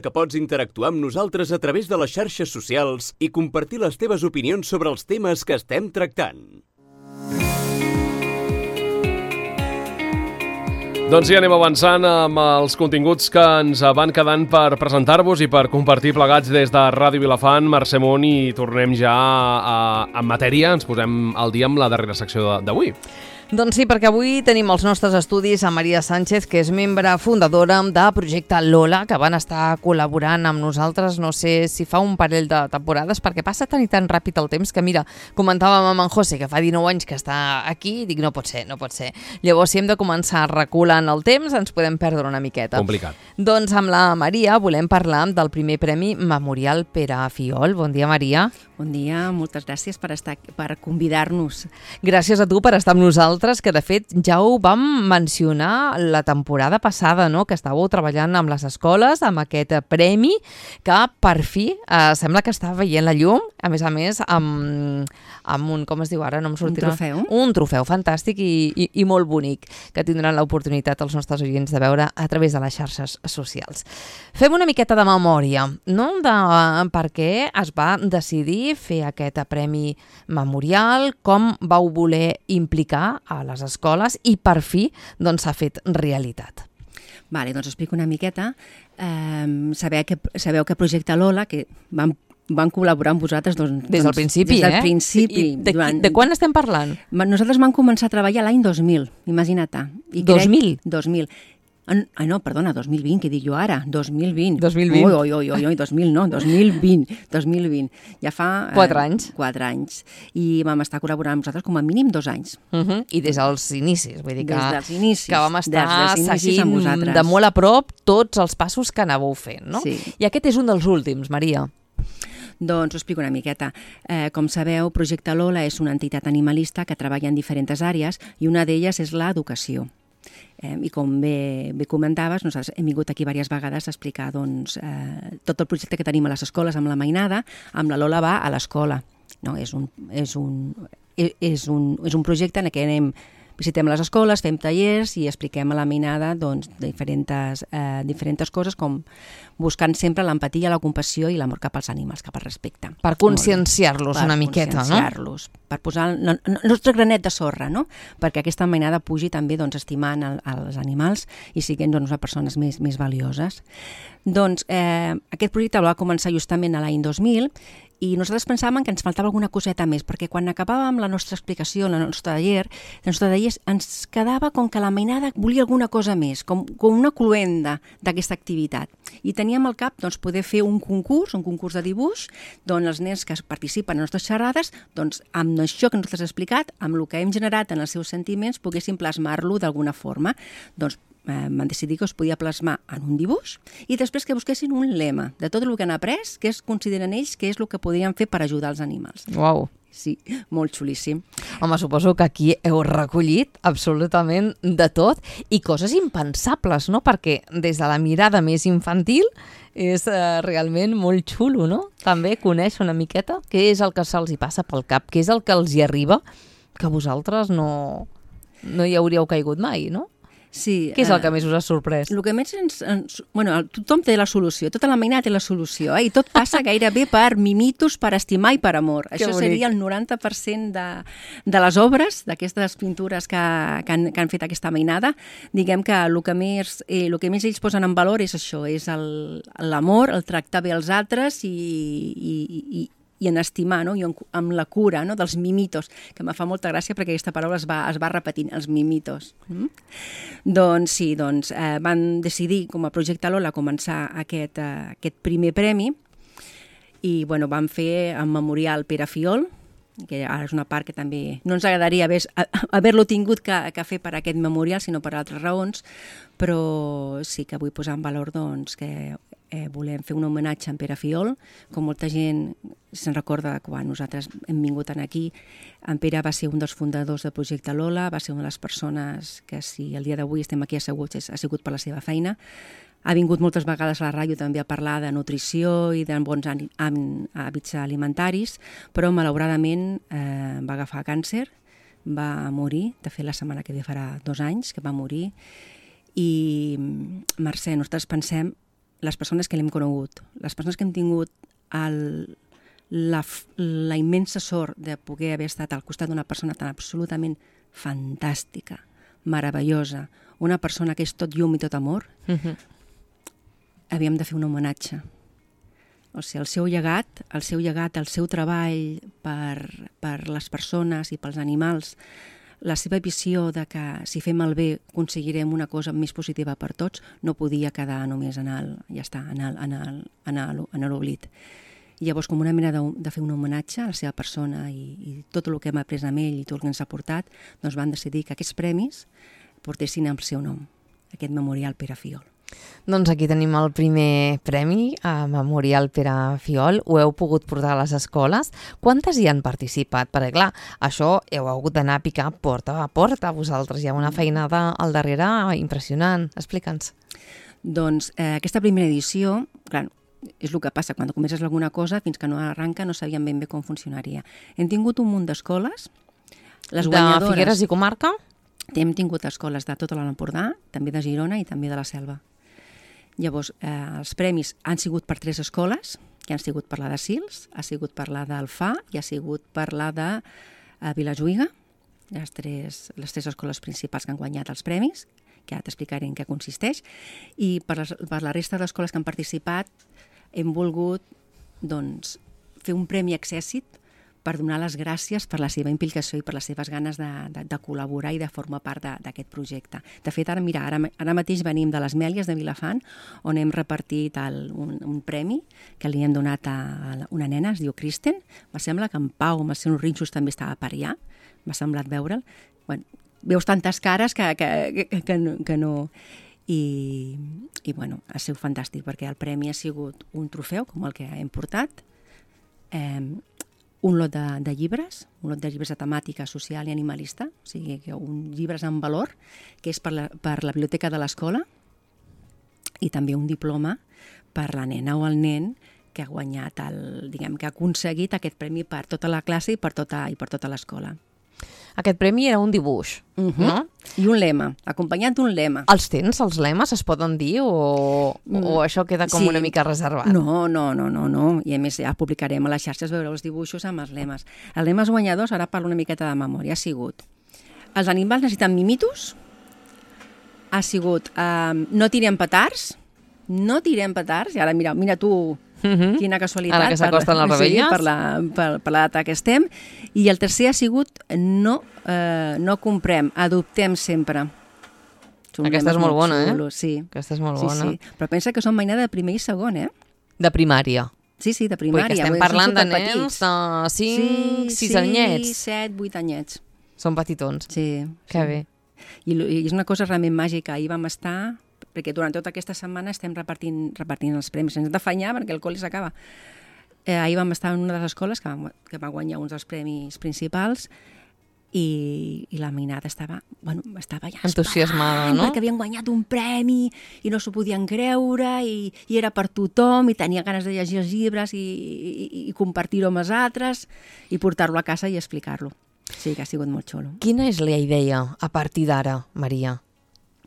que pots interactuar amb nosaltres a través de les xarxes socials i compartir les teves opinions sobre els temes que estem tractant. Doncs ja anem avançant amb els continguts que ens van quedant per presentar-vos i per compartir plegats des de Ràdio Vilafant. Mercè Munt, i tornem ja en matèria. Ens posem al dia amb la darrera secció d'avui. Doncs sí, perquè avui tenim als nostres estudis a Maria Sánchez, que és membre fundadora de Projecte Lola, que van estar col·laborant amb nosaltres, no sé si fa un parell de temporades, perquè passa tan i tan ràpid el temps que, mira, comentàvem amb en José, que fa 19 anys que està aquí, i dic, no pot ser. Llavors, si hem de començar reculant el temps, ens podem perdre una miqueta. Complicat. Doncs amb la Maria volem parlar del primer Premi Memorial Pere Fiol. Bon dia, Maria. Bon dia, moltes gràcies per convidar-nos. Gràcies a tu per estar amb nosaltres, que de fet ja ho vam mencionar la temporada passada, no? Que estàveu treballant amb les escoles, amb aquest premi, que per fi sembla que està veient la llum, a més, amb un, com es diu ara? No em sortirà. Un trofeu. Un trofeu fantàstic i molt bonic, que tindran l'oportunitat els nostres oients de veure a través de les xarxes socials. Fem una miqueta de memòria, no? De per què es va decidir fer aquest premi memorial, com vau voler implicar a les escoles i per fi doncs s'ha fet realitat. Vale, doncs explico una miqueta. Sabeu que Projecte Lola, que van col·laborar amb vosaltres des del principi, des del principi. De quan estem parlant? Nosaltres vam començar a treballar l'any 2000, imagina't. 2000? 2000. No, perdona, 2020, què dic jo ara? 2020. 2020. Oi, 2000 no, 2020. Ja fa... 4 anys. 4 anys. I vam estar col·laborant amb vosaltres com a mínim 2 anys. I des dels inicis, vull dir que... Des dels inicis. Que vam estar seguint de molt a prop tots els passos que anàveu fent, no? Sí. I aquest és un dels últims, Maria. Doncs ho explico una miqueta. Com sabeu, Projecte Lola és una entitat animalista que treballa en diferents àrees i una d'elles és l'educació. I com bé comentaves, nosaltres hem vingut aquí diverses vegades a explicar tot el projecte que tenim a les escoles amb la mainada, amb la Lola va a l'escola. No? És un projecte en què visitem les escoles, fem tallers i expliquem a la mainada diferents coses, com buscant sempre l'empatia, la compassió i l'amor cap als animals, cap al respecte. Per conscienciar-los una miqueta, no? Per conscienciar-los, per posar el nostre granet de sorra, no? Perquè aquesta mainada pugi també estimant els animals i siguin unes persones més valioses. Doncs aquest projecte va començar justament l'any 2000 i nosaltres pensàvem que ens faltava alguna coseta més, perquè quan acabàvem la nostra explicació, el nostre taller ens quedava com que la mainada volia alguna cosa més, com una cluenda d'aquesta activitat. I teníem al cap poder fer un concurs de dibuix, on els nens que participen en les nostres xerrades, amb això que nosaltres hem explicat, amb el que hem generat en els seus sentiments, poguessin plasmar-lo d'alguna forma. Van decidir que es podia plasmar en un dibuix i després que busquessin un lema de tot el que han après, que consideren ells que és el que podrien fer per ajudar els animals. Uau! Sí, molt xulíssim. Home, suposo que aquí heu recollit absolutament de tot i coses impensables, no? Perquè des de la mirada més infantil és realment molt xulo, no? També conèixer una miqueta què és el que se'ls hi passa pel cap, què és el que els hi arriba, que vosaltres no hi hauríeu caigut mai, no? Sí, què és el que més us ha sorprès? El que més tothom té la solució, tota la mainada té la solució, i tot passa gairebé per mimitos, per estimar i per amor. Això seria el 90% de les obres, d'aquestes pintures que han fet aquesta mainada. Diguem que el que més ells posen en valor és això, és l'amor, el tractar bé els altres i en estimar, no? I amb la cura, no? Dels mimitos, que me fa molta gràcia perquè aquesta paraula es va repetint, els mimitos. Doncs sí, van decidir com a Projecte Lola començar aquest primer premi i van fer el memorial Pere Fiol, que ara és una part que també no ens agradaria haver-lo tingut que fer per aquest memorial, sinó per altres raons, però sí que vull posar en valor que volem fer un homenatge a en Pere Fiol. Com molta gent se'n recorda quan nosaltres hem vingut aquí, en Pere va ser un dels fundadors del Projecte Lola, va ser una de les persones que, si el dia d'avui estem aquí asseguts, ha sigut per la seva feina. Ha vingut moltes vegades a la ràdio també a parlar de nutrició i de bons hàbits alimentaris, però malauradament va agafar càncer, va morir, de fet la setmana que ve farà 2 anys que va morir, i Mercè, nosaltres pensem les persones que l'hem conegut, les persones que hem tingut la immensa sort de poder haver estat al costat d'una persona tan absolutament fantàstica, meravellosa, una persona que és tot llum i tot amor, havíem de fer un homenatge. O sigui, el seu llegat, el seu treball per les persones i pels animals, la seva visió de que si fem el bé aconseguirem una cosa més positiva per tots, no podia quedar només en l'oblit. Llavors, com una manera de fer un homenatge a la seva persona i tot el que hem après amb ell i tot el que ens ha portat, doncs van decidir que aquests premis portessin el seu nom, aquest Memorial Pere Fiol. Doncs aquí tenim el primer premi a Memorial Pere Fiol. Ho heu pogut portar a les escoles. Quantes hi han participat? Perquè, clar, això heu hagut d'anar a picar porta a porta. Vosaltres hi ha una feinada al darrere impressionant. Explica'ns. Doncs aquesta primera edició, clar, és el que passa, quan comences alguna cosa, fins que no arranca no sabíem ben bé com funcionaria. Hem tingut un munt d'escoles, les guanyadores... De Figueres i comarca? Hem tingut escoles de tot l'Alt Empordà, també de Girona i també de la Selva. Llavors, els premis han sigut per 3 escoles, que han sigut per la de Sils, ha sigut per la d'Alfà i ha sigut per la de Vilajuïga, les tres escoles principals que han guanyat els premis, que ara t'explicaré en què consisteix, i per la resta d'escoles que han participat hem volgut doncs, fer un premi Accèssit per donar les gràcies per la seva implicació i per les seves ganes de col·laborar i de formar part d'aquest projecte. De fet, ara mateix venim de les Mèlies de Vilafant, on hem repartit un premi que li hem donat a una nena, es diu Kristen. Me sembla que en Pau, amb els seus rinxos, també estava per allà. M'ha semblat veure'l. Bueno, veus tantes cares que no... I bueno, ha sigut fantàstic, perquè el premi ha sigut un trofeu, com el que hem portat, un lot de llibres, de temàtica social i animalista, o sigui, llibres amb valor, que és per la biblioteca de l'escola, i també un diploma per la nena o el nen que ha guanyat, que ha aconseguit aquest premi per tota la classe i per tota l'escola. Aquest premi era un dibuix, no? I un lema, acompanyat d'un lema. Els tens, els lemes, es poden dir, o això queda com una mica reservat? No. I a més ja publicarem a les xarxes, veureu els dibuixos amb els lemes. Els lemes guanyadors, ara parlo una miqueta de memòria, ha sigut: els animals necessiten mimitos, ha sigut no tirem petards, i ara mira tu... Quina casualitat. Ara que s'acosten les rebelles. Sí, per la data que estem. I el tercer ha sigut no comprem, adoptem sempre. Aquesta és molt bona, Sí. Aquesta és molt bona. Sí. Però pensa que són mainada de primer i segon, De primària. Sí, de primària. Perquè estem parlant de nens de 5, 6 anyets. 7, 8 anyets. Són petitons. Sí. Que bé. I és una cosa realment màgica. Ahir vam estar... perquè durant tota aquesta setmana estem repartint els premis, sense d'afanyar perquè el col·le s'acaba. Ahir vam estar en una de les escoles que va guanyar uns dels premis principals i la Mainada estava ja entusiasmada, no? Perquè havien guanyat un premi i no s'ho podien creure i era per tothom i tenia ganes de llegir els llibres i compartir-ho amb els altres i portar-lo a casa i explicar-lo. Sí, que ha sigut molt xulo. Quina és la idea a partir d'ara, Maria?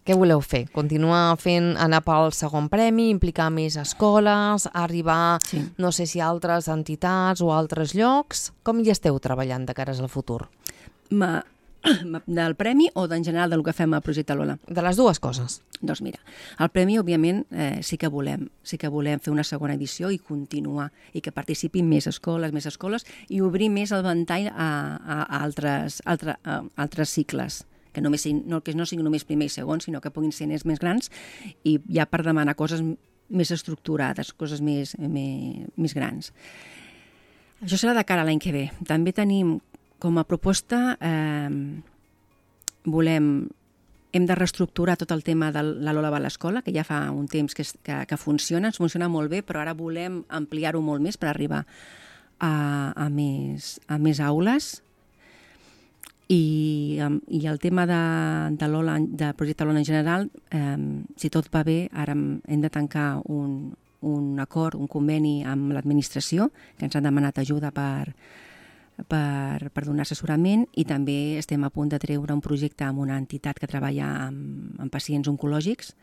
Què voleu fer? Continuar anar pel segon premi, implicar més escoles, arribar, no sé si a altres entitats o a altres llocs? Com hi esteu treballant de cares al futur? Del premi o d'en general del que fem a Projecte Lola? De les dues coses. Doncs mira, el premi, òbviament, sí que volem fer una segona edició i continuar, i que participin més escoles i obrir més el ventall a altres cicles. Que no siguin només primer i segon, sinó que puguin ser nens més grans i ja per demanar coses més estructurades, coses més grans. Això serà de cara a l'any que ve. També tenim com a proposta, hem de reestructurar tot el tema de la Lola va a l'escola, que ja fa un temps que funciona, ens funciona molt bé, però ara volem ampliar-ho molt més per arribar a més aules. I el tema de Projecte Lola en general, si tot va bé, ara hem de tancar un acord, un conveni amb l'administració, que ens han demanat ajuda per donar assessorament, i també estem a punt de treure un projecte amb una entitat que treballa amb pacients oncològics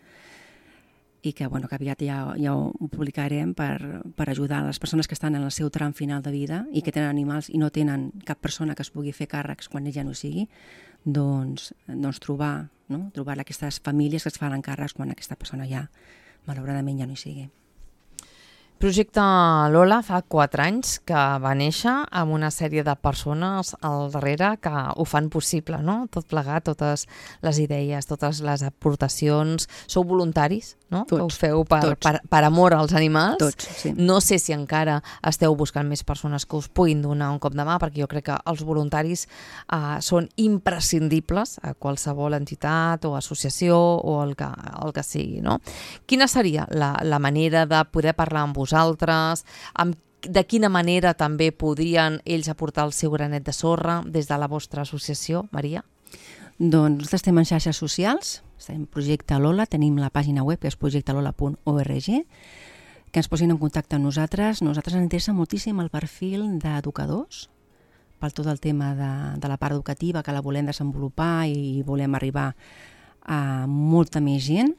i que aviat ja ho publicarem per ajudar a les persones que estan en el seu tram final de vida i que tenen animals i no tenen cap persona que es pugui fer càrrecs quan ell ja no sigui, doncs trobar aquestes famílies que es fan càrrecs quan aquesta persona ja, malauradament, ja no hi sigui. Projecte Lola fa 4 anys que va néixer amb una sèrie de persones al darrere que ho fan possible, no? Tot plegat, totes les idees, totes les aportacions. Sou voluntaris, no? Tots. Que ho feu per amor als animals. Tots, sí. No sé si encara esteu buscant més persones que us puguin donar un cop de mà, perquè jo crec que els voluntaris són imprescindibles a qualsevol entitat o associació o el que sigui, no? Quina seria la manera de poder parlar amb vosaltres, de quina manera també podrien ells aportar el seu granet de sorra des de la vostra associació, Maria? Doncs nosaltres estem en xarxes socials, estem en Projecte Lola, tenim la pàgina web que és projectalola.org, que ens posin en contacte amb nosaltres. Nosaltres ens interessa moltíssim el perfil d'educadors, per tot el tema de la part educativa, que la volem desenvolupar i volem arribar a molta més gent.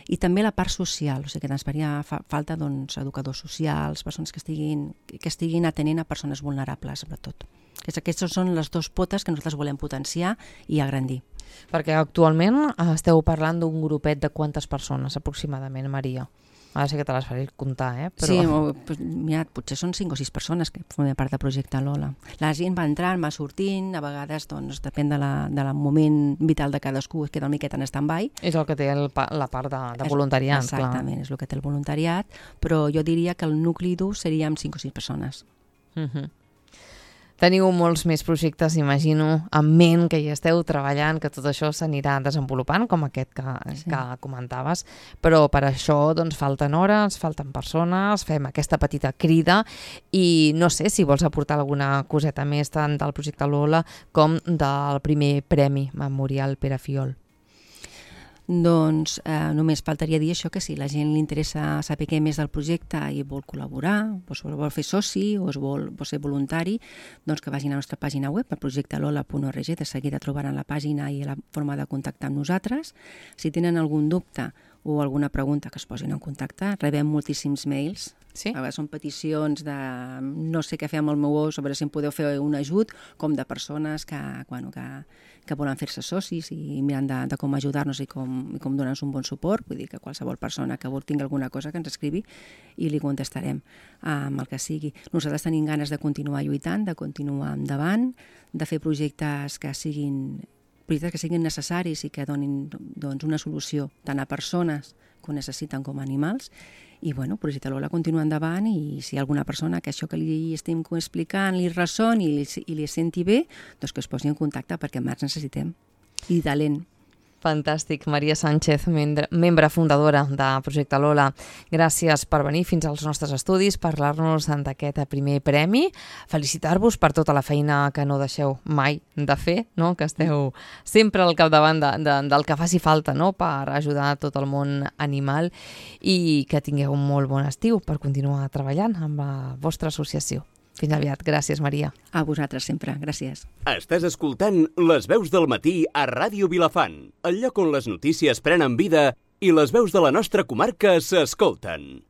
I també la part social, o sigui que ens faria falta educadors socials, persones que estiguin atenent a persones vulnerables, sobretot. Aquestes són les 2 potes que nosaltres volem potenciar i agrandir. Perquè actualment esteu parlant d'un grupet de quantes persones aproximadament, Maria? Ara sé que te les faré comptar, però... Sí, mira, potser són 5 o 6 persones que formen part del projecte Lola. La gent va entrant, va sortint, a vegades depèn del moment vital de cadascú, es queda una miqueta en stand-by. És el que té la part de voluntariat. Exactament, és el que té el voluntariat, però jo diria que el nucli dur seria amb 5 o 6 persones. Teniu molts més projectes, imagino, en ment, que hi esteu treballant, que tot això s'anirà desenvolupant, com aquest que comentaves, però per això falten hores, falten persones, fem aquesta petita crida i no sé si vols aportar alguna coseta més tant del projecte Lola com del primer Premi Memorial Pere Fiol. Doncs només faltaria dir això, que si la gent li interessa saber què més del projecte i vol col·laborar, vol fer soci o vol ser voluntari, doncs que vagin a la nostra pàgina web, a projectalola.org, de seguida trobaran la pàgina i la forma de contactar amb nosaltres. Si tenen algun dubte o alguna pregunta, que es posin en contacte, rebem moltíssims mails. Sí? A vegades són peticions de no sé què fer amb el meu ós, a veure si em podeu fer un ajut, com de persones que volen fer-se socis i miren de com ajudar-nos i com donar-nos un bon suport. Vull dir que qualsevol persona que tingui alguna cosa que ens escrivi i li contestarem amb el que sigui. Nosaltres tenim ganes de continuar lluitant, de continuar endavant, de fer projectes que siguin necessaris i que donin una solució tant a persones que ho necessiten com a animals. I Projecte Lola continua endavant i si hi ha alguna persona que això que li estem explicant li ressoni i li senti bé, doncs que es posi en contacte perquè més necessitem. I talent. Fantàstic. Maria Sánchez, membre fundadora de Projecte Lola. Gràcies per venir fins als nostres estudis, parlar-nos d'aquest primer premi. Felicitar-vos per tota la feina que no deixeu mai de fer, no? Que esteu sempre al capdavant del que faci falta, no? Per ajudar tot el món animal i que tingueu un molt bon estiu per continuar treballant amb la vostra associació. Fins aviat. Gràcies, Maria. A vosaltres sempre. Gràcies. Estàs escoltant Les veus del matí a Ràdio Vilafant, el lloc on les notícies prenen vida i les veus de la nostra comarca s'escolten.